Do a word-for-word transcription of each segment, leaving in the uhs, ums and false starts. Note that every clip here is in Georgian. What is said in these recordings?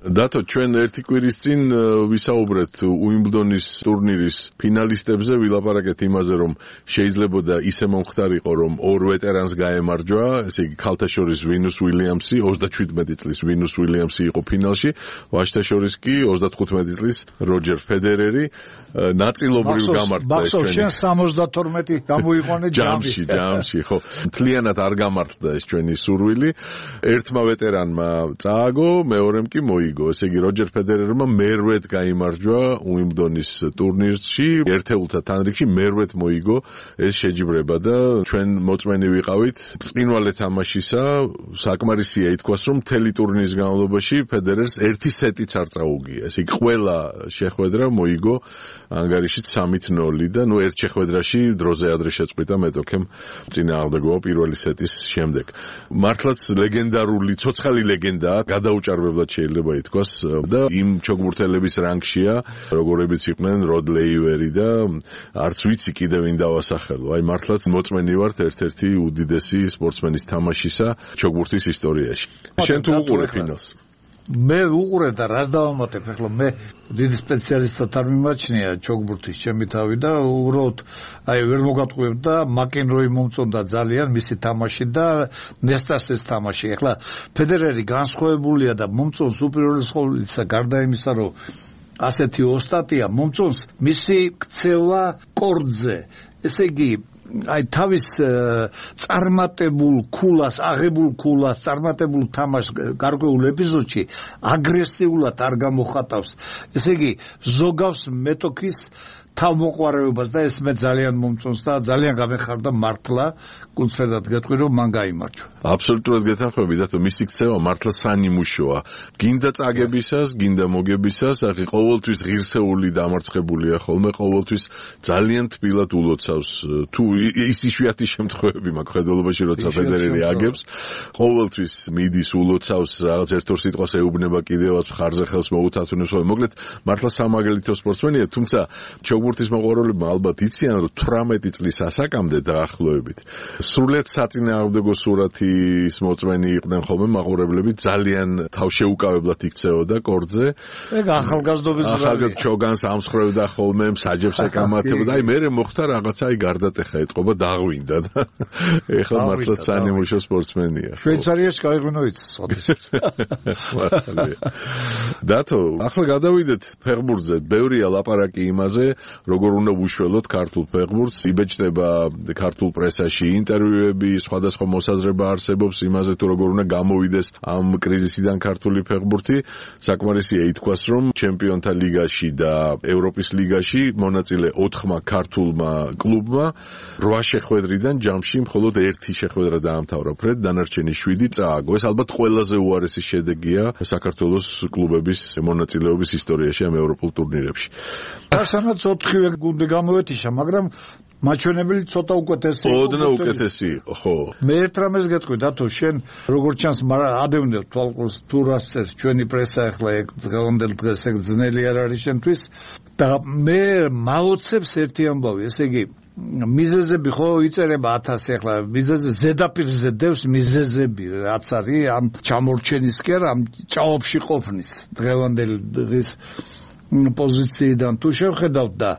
დათო, ჩვენ ერთი კვირის წინ ვისაუბრეთ უიმბლდონის ტურნირის ფინალისტებზე, ვილაპარაკეთ იმაზე, რომ შეიძლებოდა ისე მომხდარიყო, რომ ორ ვეტერანს გაემარჯვა, ესე იგი ქალთა შორის ვინუს უილიამსი, ოცდაჩვიდმეტი წლის ვინუს უილიამსი იყო ფინალში, ვაჟთა შორის კი ოცდათხუთმეტი წლის როჯერ ფედერერი ნაწილობრივ გამართა. ბაქსო, შენ სამოცდათორმეტი გამოიყვანე ჯამში, ჯამში, ხო. მთლიანად არ გამართდა ეს ჩვენი სურვილი. ერთმა ვეტერანმა წააგო, მეორემ კი მოიგო. ესე იგი როჯერ ფედერერმა მერვედ გაიმარჯვა უიმბლდონის ტურნირში, ერთეულთა თანრიგში მერვედ მოიგო ეს შეჯიბრება და ჩვენ მოწმენი ვიყავით წინვალე თამაშისა. საკმარისია ითქვას, რომ მთელი ტურნირის განმავლობაში ფედერერს ერთი სეტიც არ წაუგია. ესე იგი ყველა შეხვედრა მოიგო ანგარიშით სამით ნოლი და ნუ ერთ შეხვედრაში დროზე ადრე შეწყვიტა მეტოქემ წინააღმდეგობა პირველი სეტის შემდეგ. მართლაც ლეგენდარული, ცოცხალი ლეგენდაა, გადაუჭარბებლად შეიძლება ითქვას და იმ ჩოგბურთელების რანგშია, როგორებიც იყვნენ როდ ლეივერი და არც ვიცი კიდევ ვინ დავასახელო. აი მართლაც მოწმენი ვართ ერთ-ერთი უდიდესი სპორტსმენის თამაშისა ჩოგბურთის ისტორიაში. შენ თუ უყურე ფინალს? მე უყურე და რას დავამატებ, ახლა მე დიდი სპეციალისტად არ მიმაჩნია ჩოგბურთის ჩემი თავი და უბრალოდ აი ვერ მოგატყუებდა მაკენროი მომწონდა ძალიან მისი თამაში და ნესტასის თამაში. ახლა ფედერერი განსხვავებულია და მომწონს უპირველეს ყოვლისა გარდა იმისა, რომ ასეთი ოსტატია, მომწონს მისი ქცევა კორდზე. ესე იგი აი თავის წარმატებულ ქულას, აღებულ ქულას, წარმატებულ თამაშს გარკვეულ ეპიზოდში აგრესიულად არ გამოხატავს. ესე იგი ზოგავს მეტოქის თავმოყვარეობას და ეს მე ძალიან მომწონს და ძალიან გამეხარდა მართლა კუნცფერდად გეტყვი რომ მან გაიმარჯვა. აბსოლუტურად გეთანხმები და მისი ქცევა მართლა სანიმუშოა. გინდა წაგებისას, გინდა მოგებისას, ახი ყოველთვის ღირსეული დამარცხებულია ხოლმე, ყოველთვის ძალიან თბილად ულოცავს. თუ ის იშვიათი შემთხვევები მაქვს ხედველობაში, როცა ფედერერი აგებს, ყოველთვის მიდის ულოცავს, რაღაც ერთ-ორ სიტყვას ეუბნება კიდევაც მხარზე ხელს მოუთათუნებს. მოკლედ მართლა სამაგალითო სპორტსმენია, თუმცა ჩოგბურთის მოყვარულებმა ალბათ იციან, რომ თვრამეტი წლის ასაკამდე დაახლოებით სრულიად საწინააღმდეგო სურათის მოწმენი იყვნენ ხოლმე მაყურებლები, ძალიან თავშეუკავებლად იქცეოდა კორდზე. ეგ ახალგაზრდობის ახალგაზრდა ჩოგანს ამსხრევდა ხოლმე, საჯებს ეკამათებდა. აი მერე მოხდა რაღაცა, აი გარდატეხა ეთყობა, დაღვინდა და ეხლა მართლა სანიმუშო სპორტსმენია. შვეიცარიაში გაიღვინო იცის. დათო, ახლა გადავიდეთ ფეხბურთზე. ბევრია ლაპარაკი იმაზე, როგორ უნდა ვუშველოთ ქართულ ფეხბურთს, იბეჭდება ქართულ პრესაში ინტერვიუები, სხვადასხვა მოსაზრება არსებობს იმაზე, თუ როგორ უნდა გამოვიდეს ამ კრიზისიდან ქართული ფეხბურთი. საკმარისია ითქვას, რომ ჩემპიონთა ლიგაში და ევროპის ლიგაში მონაწილე ოთხმა ქართულმა კლუბმა რვა შეხვედრიდან ჯამში მხოლოდ ერთი შეხვედრა დაამთავრა ფრედ, დანარჩენი შვიდი წააგო. ეს ალბათ ყველაზე უარესი შედეგია საქართველოს კლუბების მონაწილეობის ისტორიაში ამ ევროპულ ტურნირებში. ასანაც ოთხივე გუნდი გამოვეთიშა, მაგრამ მაჩვენებელი ცოტა უკეთესი იყო. ოდნავ უკეთესი იყო, ხო. მე ერთ რამეს გეტყვი, დათო, შენ როგორც ჩანს, ადევნებ თვალყურს თუ რას წერს ჩვენი პრესა, ახლა ეგ დღევანდელ დღეს ეგ ძნელი არ არის შენთვის და მე მაოცებს ერთი ამბავი, ესე იგი მიზეზები ხო იწერება ათასი, ახლა მიზეზე ზედაპირზე დევს მიზეზები რაც არის ამ ჩამორჩენისკენ, ამ ჭაობში ყოფნის დღევანდელი დღის პოზიციიდან თუ შევხედავთ და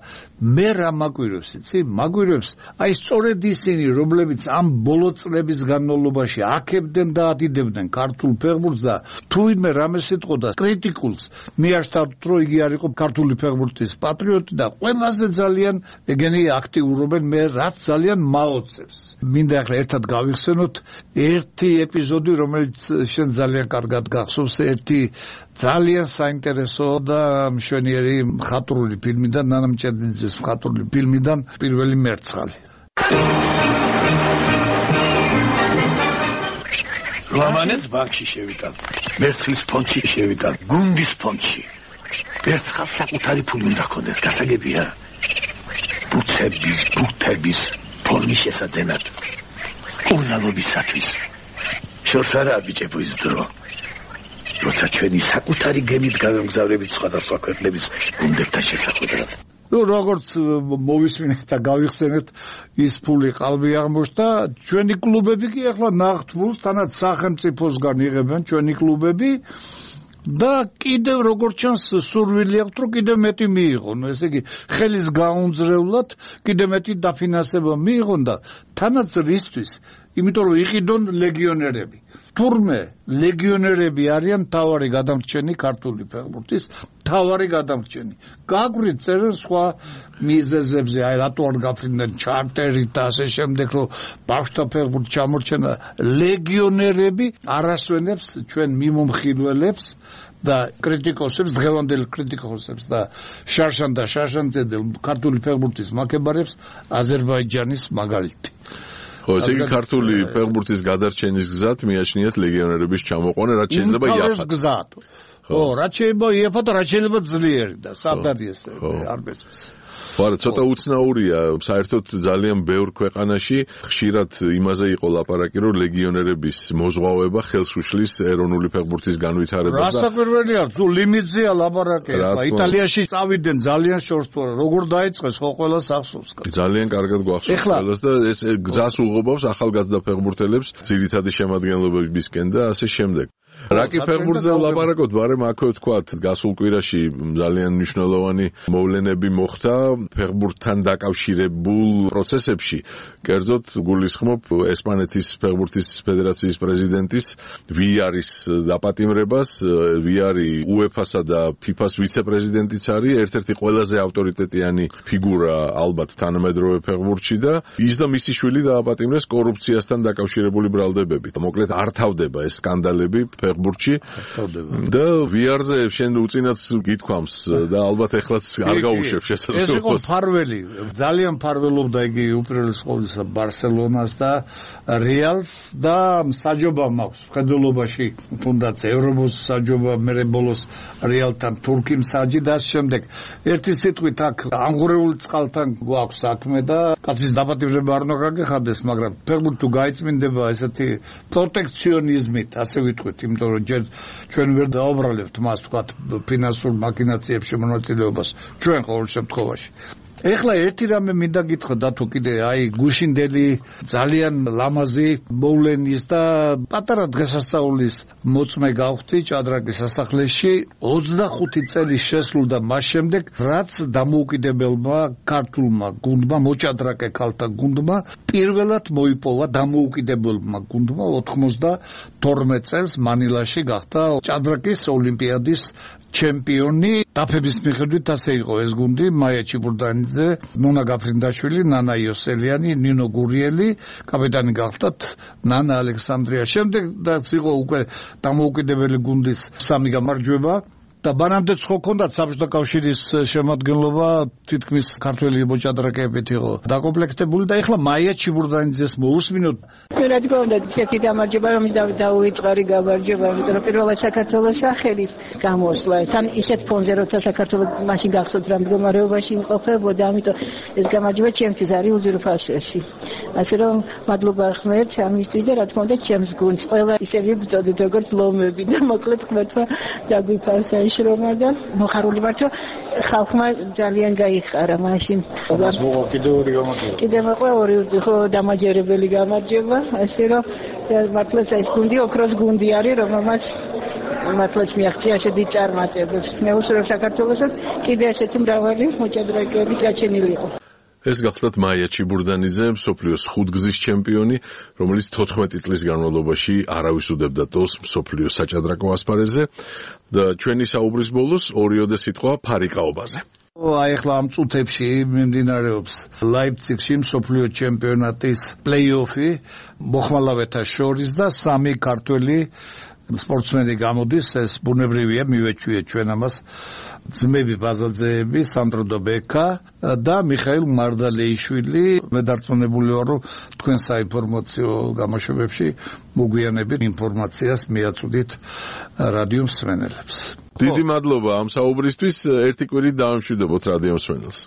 მე რა მაგვირებს, იცი? მაგვირებს აი სწორედ ისინი, რომლებიც ამ ბოლო წლების განმავლობაში აქებდნენ და ადიდებდნენ ქართულ ფეხბურთს და თუ ვინმე რამეს იტყოდა კრიტიკულს, მიაშთავთ, რომ იგი არ იყო ქართული ფეხბურთის პატრიოტი და ყველაზე ძალიან ეგენი აქტიურობენ, მე რაც ძალიან მაოცებს. მინდა ახლა ერთად გავიხსენოთ ერთი ეპიზოდი, რომელიც შენ ძალიან კარგად გახსოვს, ერთი ძალიან საინტერესო და მშვენიერი მხატვრული ფილმიდან, ნანა მჭედლიძის მხატვრული ფილმიდან პირველი მერცხალი. ლამანებს ბანკში შევიტან, მერცხლის ფონდში შევიტან, გუნდის ფონდში. მერცხალს საკუთარი ფული უნდა ჰქონდეს, გასაგებია? ბურთების, ბურთების ფორმის შესაძენად. უნალობისათვის. შორს არა ბიჭებო ის დრო. როცა ჩვენი საკუთარი გემით გავემგზავრებით სხვადასხვა ქვეყნების გუნდებთან შესახვედრად. ნუ როგორც მოვისმინეთ და გავიხსენეთ, ის ფული ყალბი აღმოჩნდა, ჩვენი კლუბები კი ახლა ნახტ ფულს თანაც სახელმწიფოსგან იღებენ ჩვენი კლუბები და კიდევ როგორც ჩანს სურვილი აქვს რომ კიდევ მეტი მიიღონ, ესე იგი ხელის გაუნձრევლად კიდევ მეტი დაფინანსება მიიღონ და თანაც რისთვის, იმიტომ რომ იყიდონ ლეგიონერები. თურმე ლეგიონერები არიან თავარი გადამრჩენი ქართული ფეხბურთის თავარი გადამრჩენი. გაგვით წერენ სხვა მიზეზებზე, აი რატო არ გაფრინდნენ ჩარტერით და ასე შემდეგ, რომ ბავშვთა ფეხბურთი ჩამორჩენა. ლეგიონერები არასვენებს ჩვენ მიმომხილველებს და კრიტიკოსებს, დღევანდელ კრიტიკოსებს და შარშან და შარშანძედელ ქართული ფეხბურთის მაკებარებს აზერბაიჯანის მაგალითი. ხო, ესე იგი ქართული ფეხბურთის გადარჩენის გზად მიაჩნიათ ლეგიონერების ჩამოყვანა, რაც შეიძლება იაფად. გზად. ხო, რაც შეიძლება იაფად, რაც შეიძლება ძლიერი და სადარი ეს არ გესმის. ხო, არა, ცოტა უცნაურია, საერთოდ ძალიან ბევრ ქვეყანაში ხშირად იმაზე იყო ლაპარაკი, რომ ლეგიონერების მოზღვავება ხელს უშლის ეროვნული ფეხბურთის განვითარებას და რასაკვირველია, თუ ლიმიტზეა ლაპარაკი, იტალიაში წავიდნენ ძალიან შორს თუ არა, როგორ დაიწყეს ხო ყველას ახსოვს. ძალიან კარგად გვახსოვს ყველას და ეს გზას უღობავს ახალგაზრდა ფეხბურთელებს ძირითადი შემადგენლობებისკენ და ასე შემდეგ. რაკი ფეხბურთზე ვლაპარაკოთ, ბარემ აქვე ვთქვათ, გასულ კვირაში ძალიან მნიშვნელოვანი მოვლენები მოხდა ფეხბურთთან დაკავშირებულ პროცესებში. კერძოდ გულისხმობ ესპანეთის ფეხბურთის ფედერაციის პრეზიდენტის ვიარის დაპატიმრებას. ვიარი უეფასა და ფიფას ვიცე-პრეზიდენტიც არის, ერთ-ერთი ყველაზე ავტორიტეტიანი ფიგურა ალბათ თანამედროვე ფეხბურთში და ის და მისი შვილი დააპატიმრეს კორუფციასთან დაკავშირებული ბრალდებებით. მოკლედ არ თავდება ეს სკანდალები ფეხბურთში და ვიარზე შენ უწინაც გითქვამს და ალბათ ეხლაც არ გაუშვებ შესაძლებლობას. ეს იყო ფარველი, ძალიან ფარველობდა იგი უპირველეს ყოვლისა ბარსელონას და რეალს და საჯობა მაქვს მხედველობაში, თუნდაც ევროპოს საჯობა, მერე ბოლოს რეალთან თურქი მსაჯი და ამ შემდეგ. ერთი სიტყვით აქ ამღვრეული წყალთან გვაქვს საქმე და კაცის დაპატიმრება არ უნდა გაგეხადდეს, მაგრამ ფეხბურთი თუ გაიწმინდება ესეთი პროტექციონიზმით, ასე ვიტყვით, იმიტომ რომ ჯერ ჩვენ ვერ დაუბრალებთ მას თქვათ ფინანსურ მაქინაციებში მონაწილეობას ჩვენ ყოველ შემთხვევაში. ეხლა ერთი რამე მინდა გითხრა დათო კიდე აი გუშინდელი ძალიან ლამაზი მოვლენის და პატარა დღესასწაულის მოწმე გავხდი ჭადრაკის სასახლეში ოცდახუთი წელი შესრულდა მას შემდეგ რაც დამოუკიდებელმა ქართულმა გუნდმა მოჭადრაკე ქალთა გუნდმა პირველად მოიპოვა დამოუკიდებელმა გუნდმა ოთხმოცდათორმეტ წელს მანილაში გახდა ჭადრაკის ოლიმპიადის ჩემპიონი. დაფების მიხედვით ასე იყო ეს გუნდი: მაია ჩიბურდანიძე, ნონა გაფრინდაშვილი, ნანა იოსელიანი, ნინო გურიელი, კაპიტანი გახდათ ნანა ალექსანდრია. შემდეგ რაც იყო უკვე დამოუკიდებელი გუნდის სამი გამარჯვება და ბანამდეც ხო ქონდათ საბჭოთა კავშირის შემადგენლობა თითქმის ქართველი მოჭადრაკეებით იყო დაკომპლექტებული და ეხლა მაია ჩიბურდანიძეს მოусმინოთ. რა თქმა უნდა, ერთი გამარჯვება რომ დაუვიწყარი გამარჯვება, იმიტომ რომ პირველად საქართველოს სახელით გამოსვლა. თან ისეთ ფონზე როცა საქართველოს მაშინ გახსოვთ რა მდგომარეობაში იმყოფებოდა, ამიტომ ეს გამარჯვება ჩემთვის არის უზურპაციაში. ასე რომ მადლობა ხმერთ ამისთვის და რა თქმა უნდა ჩემს გუნდს ყველა ისევ ვიწოდეთ როგორც ლომები და მოკლედ ხმერთმა დაგვიფარსა შრომა და მოხარული ვართ რომ ხალხმა ძალიან გაიხარა მაშინ. კიდე ორი გამარჯვება. კიდე მოყვა ორი ხო დამაჯერებელი გამარჯვება, ასე რომ მართლაც ეს გუნდი ოქროს გუნდი არის, რომელმაც მართლაც მიაღწია შედი წარმატებებს. მე უსურვებ საქართველოსაც კიდე ესეთი მრავალი მოჭადრაკეები გაჩენილი იყო. ეს გახლავთ მაია ჩიბურდანიძე, მსოფლიოს ხუთგზის ჩემპიონი, რომელიც თოთხმეტი წლის განმავლობაში არავის უდებდა დოს მსოფლიოს საჭადრაკო ასპარეზზე და ჩვენი საუბრის ბოლოს ორიოდე სიტყვა ფარიკაობაზე. აი ახლა ამ წუთებში მიმდინარეობს ლაიფციგში მსოფლიო ჩემპიონატის პლეი-ოფი მოხმალავეთა შორის და სამი ქართველი სპორტსმენი გამოდის, ეს ბუნებრივია, მივეჩვიეთ ჩვენ ამას. ძმები ბაზაძეები, სანდრო დობეკა და მიხაილ მარდალეიშვილი. მე დარწმუნებული ვარ, რომ თქვენ საინფორმაციო გამოშვებებში მოგვიანებით ინფორმაციას მიაწვდით რადიო მსმენელებს. დიდი მადლობა ამ საუბრისთვის, ერთი კვირით დავამშვიდობოთ რადიო მსმენელს.